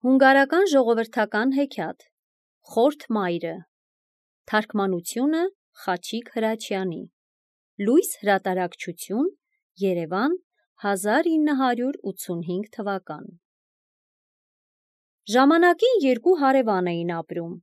Հունգարական ժողովրդական հեքիաթ Խորթ մայրը Թարգմանությունը Խաչիկ Հրաչյանի Լույս հրատարակչություն Երևան 1985 թվական Ժամանակին երկու հարևան էին ապրում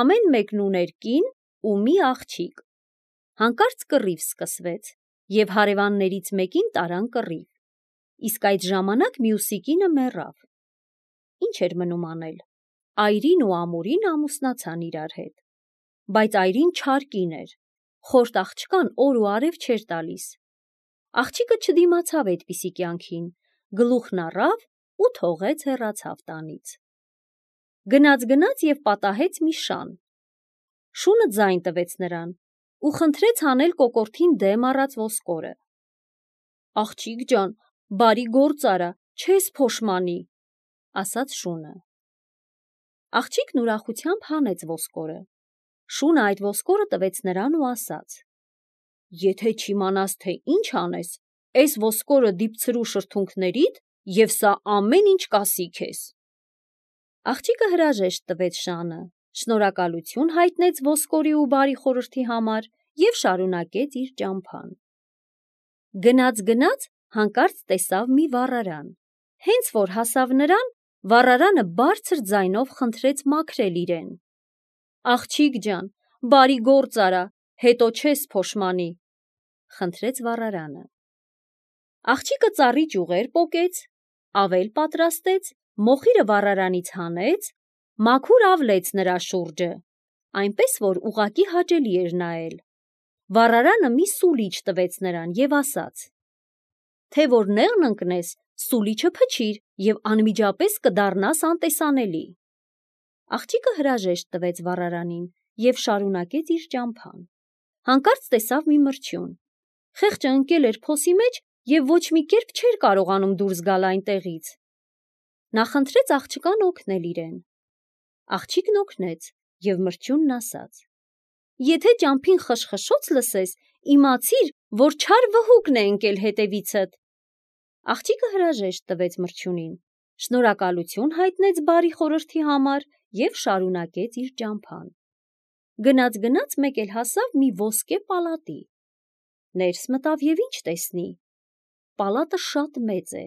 Ամեն մեկն ուներ կին ու մի աղջիկ Հանկարծ կռիվ սկսվեց և հարևաններից մեկին տարան կռիվ Իսկ այդ ժամանակ մյուսի կինը մեռավ Ինչ էր մնում անել Այրին ու ամուրին ամուսնացան իրար հետ Բայց այրին չար կին էր Խորթ աղջկան օր ու արև չէր տալիս Աղջիկը չդիմացավ այդպիսի կյանքին Գլուխն առավ ու թողեց հեռացավ տանից Գնաց և պատահեց մի շան Շունը ձայն տվեց նրան ու խնդրեց հանել կոկորդին դեմ առած ոսկորը Աղջիկ ջան, բարի գործ արա, չես փոշմանի ասաց շունը Աղջիկն ուրախությամբ հանեց ոսկորը Շունը այդ ոսկորը տվեց նրան ու ասաց Եթե չիմանաս թե ինչ անես Էս ոսկորը դիպցրու շրթունքներիդ և սա ամեն ինչ կասի քեզ Աղջիկը հրաժեշտ տվեց շանը Շնորհակալություն հայտնեց ոսկորի ու բարի խորհրդի համար և շարունակեց իր ճամփան Գնաց հանկարծ տեսավ մի վառարան Հենց որ հասավ նրան Վառարանը բարձր ձայնով խնդրեց մաքրել իրեն Աղջիկ ջան, բարի գործ արա, հետո չես փոշմանի խնդրեց վառարանը Աղջիկը ծառի ճյուղեր պոկեց Ավել պատրաստեց Մոխիրը վառարանից հանեց Մաքուր ավլեց նրա շուրջը Այնպես որ ուղղակի հաճելի էր նայել Վառարանը մի սուլիչ տվեց նրան և ասաց Թե որ նեղն ընկնես Սուլիչը փչիր և անմիջապես կդառնաս անտեսանելի Աղջիկը հրաժեշտ տվեց վառարանին և շարունակեց իր ճամփան Հանկարծ տեսավ մի մրջյուն Խեղճը ընկել էր փոսի մեջ և ոչ մի կերպ չէր կարողանում դուրս գալ այնտեղից Նա խնդրեց աղջկան օգնել իրեն Աղջիկն օգնեց և մրջյունն ասաց Եթե ճամփին խշխշոց լսես իմացիր որ չար վհուկն է ընկել հետևիցդ Աղջիկը հրաժեշտ տվեց մրջյունին Շնորհակալություն հայտնեց բարի խորհրդի համար և շարունակեց իր ճամփան Գնաց մեկ էլ հասավ մի ոսկե պալատի Ներս մտավ և ինչ տեսնի Պալատը շատ մեծ է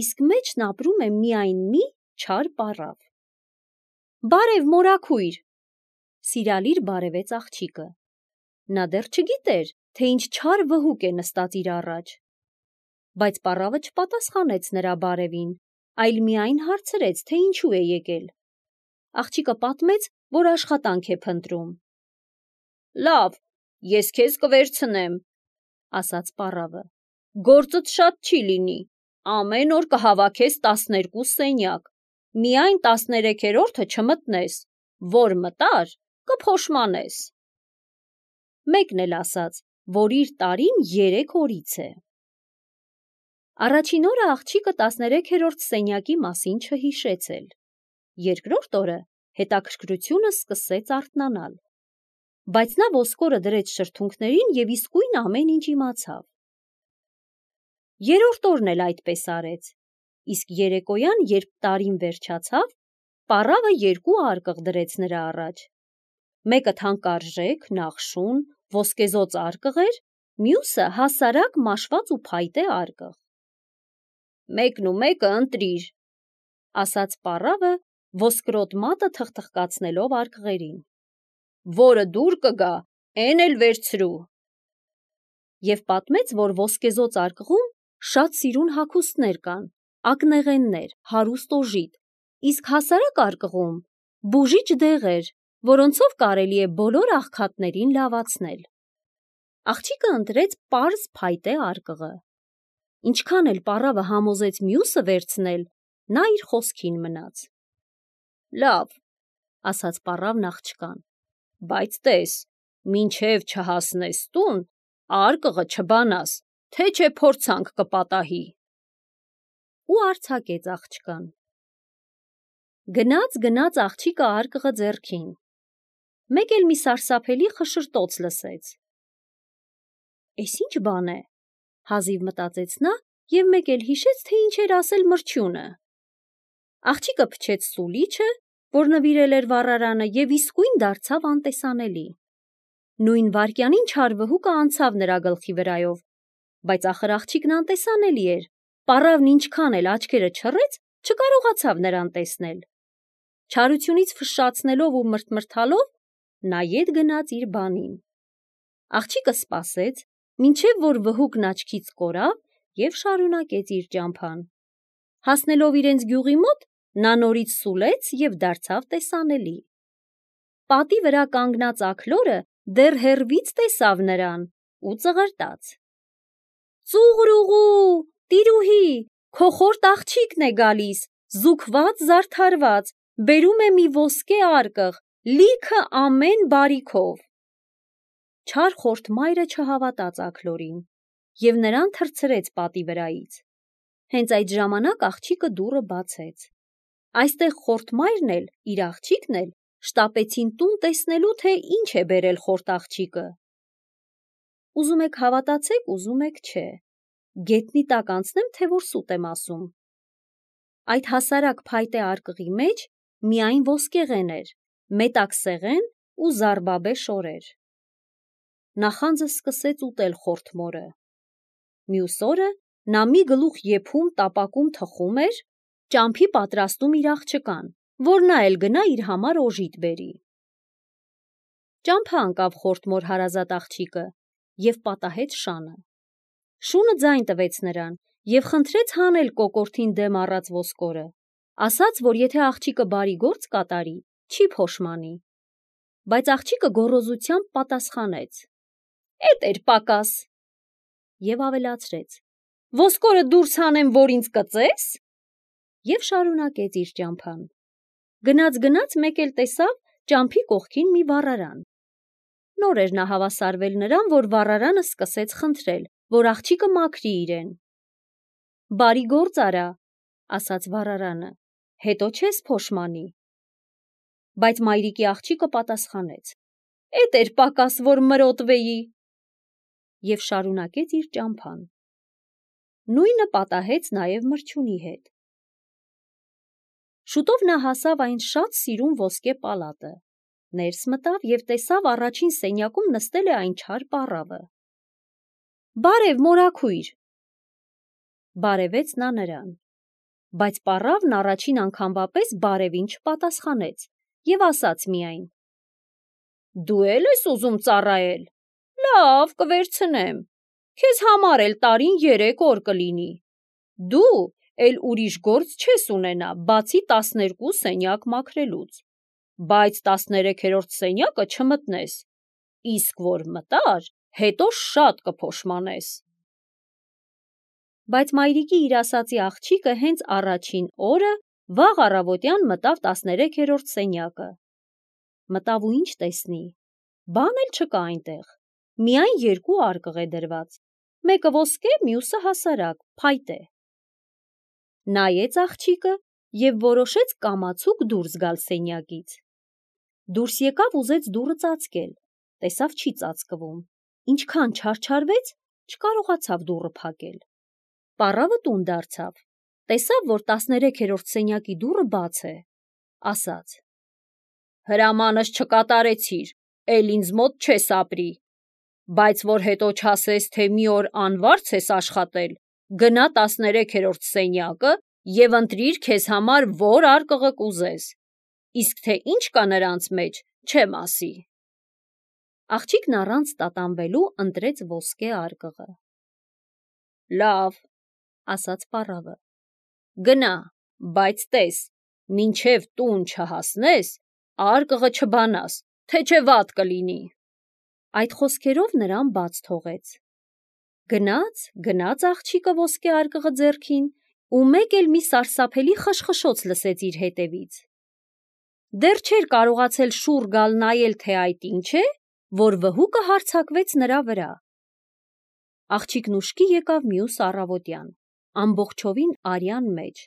Իսկ մեջն ապրում է միայն մի չար պառավ Բարև մորաքույր Սիրալիր բարևեց աղջիկը Նա դեռ չգիտեր թե ինչ չար վհուկ է նստած իր առաջ Բայց պառավը չպատասխանեց նրա բարևին Այլ միայն հարցրեց թե ինչու է եկել Աղջիկը պատմեց որ աշխատանք է փնտրում Լավ, ես քեզ կվերցնեմ ասաց պառավը Գործդ շատ չի լինի Ամեն օր կհավաքես 12 սենյակ Միայն 13-րդը չմտնես Որ մտար կփոշմանես Մեկն էլ ասաց որ իր տարին 3 օրից է Առաջին օրը աղջիկը 13-րդ սենյակի մասին չհիշեց էլ Երկրորդ օրը հետաքրքրությունը սկսեց արթնանալ Բայց նա ոսկորը դրեց շրթունքներին և իսկույն ամեն ինչ իմացավ Երրորդ օրն էլ այդպես արեց Իսկ երեկոյան երբ տարին վերջացավ Պառավը 2 արկղ դրեց նրա առաջ Մեկը թանկարժեք, նախշուն, ոսկեզօծ արկղ էր Մյուսը հասարակ մաշված ու փայտե արկղ Մեկն ու մեկը ընտրիր ասաց պառավը ոսկրոտ մատը թխթխկացնելով արկղերին Որը դուր կգա էն էլ վերցրու Եվ պատմեց որ ոսկեզօծ արկղում շատ սիրուն հագուստներ կան Ակնեղեններ, հարուստ օժիտ Իսկ հասարակ արկղում բուժիչ դեղեր Որոնցով կարելի է բոլոր աղքատներին լավացնել Աղջիկը ընտրեց պարզ փայտե արկղը Ինչքան էլ պառավը համոզեց մյուսը վերցնել Նա իր խոսքին մնաց Լավ, ասաց պառավն աղջկան Բայց տես, մինչև չհասնես տուն Արկղը չբանաս, թե չէ փորձանք կպատահի Ու արձակեց աղջկան Գնաց աղջիկը արկղը ձեռքին Մեկ էլ մի սարսափելի խշշրտոց լսեց Էս ինչ բան է Հազիվ մտածեց նա և մեկ էլ հիշեց թե ինչ էր ասել մրջյունը Աղջիկը փչեց սուլիչը, որ նվիրել էր վառարանը, եւ իսկույն դարձավ անտեսանելի։ Նույն վայրկյանին չար վհուկը անցավ նրա գլխի վրայով, բայց ախր աղջիկն անտեսանելի էր։ Պառավն ինչքան էլ աչքերը չռեց, չկարողացավ նրան տեսնել։ Չարությունից ֆշշացնելով ու մրթմրթալով, նա ետ գնաց իր բանին։ Աղջիկը սպասեց, մինչև որ վհուկն աչքից կորավ եւ շարունակեց իր ճամփան։ Հասնելով իրենց գյուղի մոտ, նա նորից սուլեց եւ դարձավ տեսանելի։ Պատի վրա կանգնած աքլորը դեռ հեռվից տեսավ նրան ու ծղրտաց. «Ծուղրուղու, տիրուհի, քո խորտ աղջիկն է գալիս, զուգված, զարդարված, բերում է մի ոսկե արկղ, լիքը ամեն բարիքով»։ Չար խորտ մայրը չհավատաց աքլորին եւ նրան թռցրեց պատի վրայից։ Հենց այդ ժամանակ աղջիկը դուռը բացեց։ Այստեղ խորտ մայրն էլ, իր աղջիկն էլ շտապեցին տուն տեսնելու, թե ինչ է բերել խորտ աղջիկը։ Ուզում եք հավատացեք, ուզում եք չէ։ Գետնի տակ անցնեմ, թե որ սուտ եմ ասում։ Այդ հասարակ փայտե արկղի մեջ միայն ոսկեղեն էր, մետակ սեղեն ու զարբաբե շորեր։ Նախանձը սկսեց ուտել խորտ մորը։ Մյուս օրը նա մի գլուխ եփում տապակում թխում էր, ճամփի պատրաստում իր աղջկան, որ նա էլ գնա իր համար օժիտ բերի։ Ճամփա անկավ խորտ մոր հարազատ աղջիկը եւ պատահեց շանը։ Շունը ձայն տվեց նրան եւ խնդրեց հանել կոկորդին դեմ առած ոսկորը, ասաց, որ եթե աղջիկը բարի գործ կատարի, չի փոշմանի։ Բայց աղջիկը գոռոզությամբ պատասխանեց. «Էդ էր պակաս» եւ ավելացրեց. «Ոսկորը դուրս հանեմ, որ ինձ կծես» եւ շարունակեց իր ճամփան։ Գնաց մեկ էլ տեսավ ճամփի կողքին մի վառարան։ Նոր էր նա հավասարվել նրան, որ վառարանը սկսեց խնդրել, որ աղջիկը մաքրի իրեն։ «Բարի գործ արա», ասաց վառարանը, «հետո չես փոշմանի»։ Բայց մայրիկի աղջիկը պատասխանեց. «Էդ էր պակաս, որ մրոտվեի» եւ շարունակեց իր ճամփան։ Նույնը պատահեց նաեւ մրջյունի հետ։ Շուտով նա հասավ այն շատ սիրուն ոսկե պալատը, ներս մտավ եւ տեսավ առաջին սենյակում նստել է այն չար պառավը։ «Բարև, մորաքույր», բարևեց նա նրան, բայց պառավն առաջին անգամվա պես բարևին չպատասխանեց եւ ասաց միայն. «Դու էլ ես ուզում ծառայել, լավ, կվերցնեմ, քեզ համար էլ տարին 3 օր կլինի, դու էլ ուրիշ գործ չես ունենա, բացի 12 սենյակ մաքրելուց, բայց 13-րդ սենյակը չմտնես, իսկ որ մտար, հետո շատ կփոշմանես»։ Բայց մայրիկի իր ասացի աղջիկը հենց առաջին օրը վաղ առավոտյան մտավ 13-րդ սենյակը։ Մտավ ու ինչ տեսնի, բան էլ չկա այնտեղ, միայն 2 արկղ է դրված, մեկը ոսկե, մյուսը հասարակ, փայտե։ Նայեց աղջիկը եւ որոշեց կամացուկ դուրս գալ սենյակից։ Դուրս եկավ, ուզեց դուռը ծածկել, տեսավ չի ծածկվում, ինչքան չարչարվեց, չկարողացավ դուռը փակել։ Պառավը տուն դարձավ, տեսավ, որ 13-րդ սենյակի դուռը բաց է, ասաց. «Հրամանս չկատարեցիր, էլ ինձ մոտ չես ապրի, բայց որ հետո չասես, թե մի օր անվարձ ես աշխատել, գնա 13-րդ սենյակը եւ ընտրիր քեզ համար որ արկղը կուզես, իսկ թե ինչ կա նրանց մեջ, չեմ ասի»։ Աղջիկն առանց տատանվելու ընտրեց ոսկե արկղը։ «Լավ», ասաց պառավը, «գնա, բայց տես, մինչև տուն չհասնես, արկղը չբանաս, թե չէ վատ կլինի»։ Այդ խոսքերով նրան բաց թողեց։ Գնաց աղջիկը ոսկե արկղը ձեռքին ու մեկ էլ մի սարսափելի խշխշոց լսեց իր հետևից։ Դեռ չէր կարողացել շուռ գալ նայել, թե այդ ինչ է, որ վհուկը հարձակվեց նրա վրա։ Աղջիկն ուշքի եկավ մյուս առավոտյան, ամբողջովին արյան մեջ,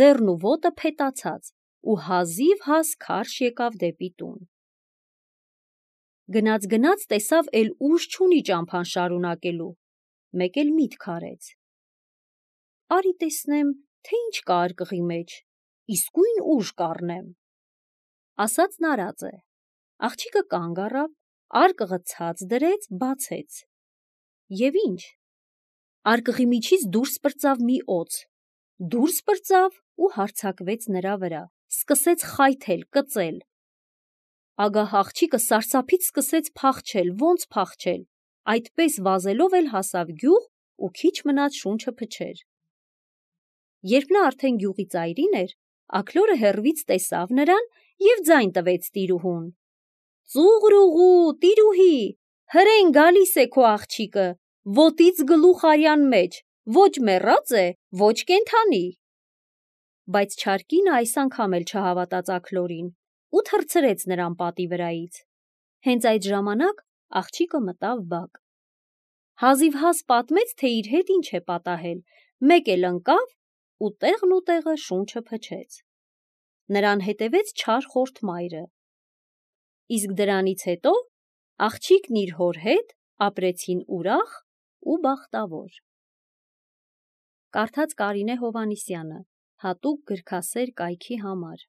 ձեռն ու ոտը փետացած ու հազիվ քարշ եկավ դեպի տուն։ Գնաց տեսավ էլ ուժ չունի ճամփան շարունակելու, մեկ էլ միտք արեց. «Արի տեսնեմ, թե ինչ կա արկղի մեջ, իսկույն ուժ կառնեմ։ Ասածն արած է։ Աղջիկը կանգ առավ, արկղը ցած դրեց, բացեց։ Եվ ինչ։ Արկղի միջից դուրս պրծավ մի օձ։ Դուրս պրծավ ու հարձակվեց նրա վրա, սկսեց խայթել, կծել։ Ագահ աղջիկը սարսափից սկսեց փախչել, ոնց փախչել, այդպես վազելով էլ հասավ գյուղ ու քիչ մնաց շունչը փչեր։ Երբ նա արդեն գյուղի ծայրին էր, աքլորը հեռվից տեսավ նրան և ձայն տվեց տիրուհուն. «Ծուղրուղու, տիրուհի, հրեն գալիս է քո աղջիկը, ոտից գլուխ արյան մեջ, ոչ մեռած է, ոչ կենդանի»։ Բայց չար կինը այս անգամ էլ չհավատաց աքլորին ու թռցրեց նրան պատի վրայից։ Հենց այդ ժամանակ աղջիկը մտավ բակ։ Հազիվհազ պատմեց, թե իր հետ ինչ է պատահել, մեկ էլ ընկավ ու տեղը շունչը փչեց։ Նրան հետևեց չար խորթ մայրը։ Իսկ դրանից հետո աղջիկն իր հոր հետ ապրեցին ուրախ ու բախտավոր։ Կարդաց Կարինե Հովհաննիսյանը, հատուկ գրքասեր կայքի համար։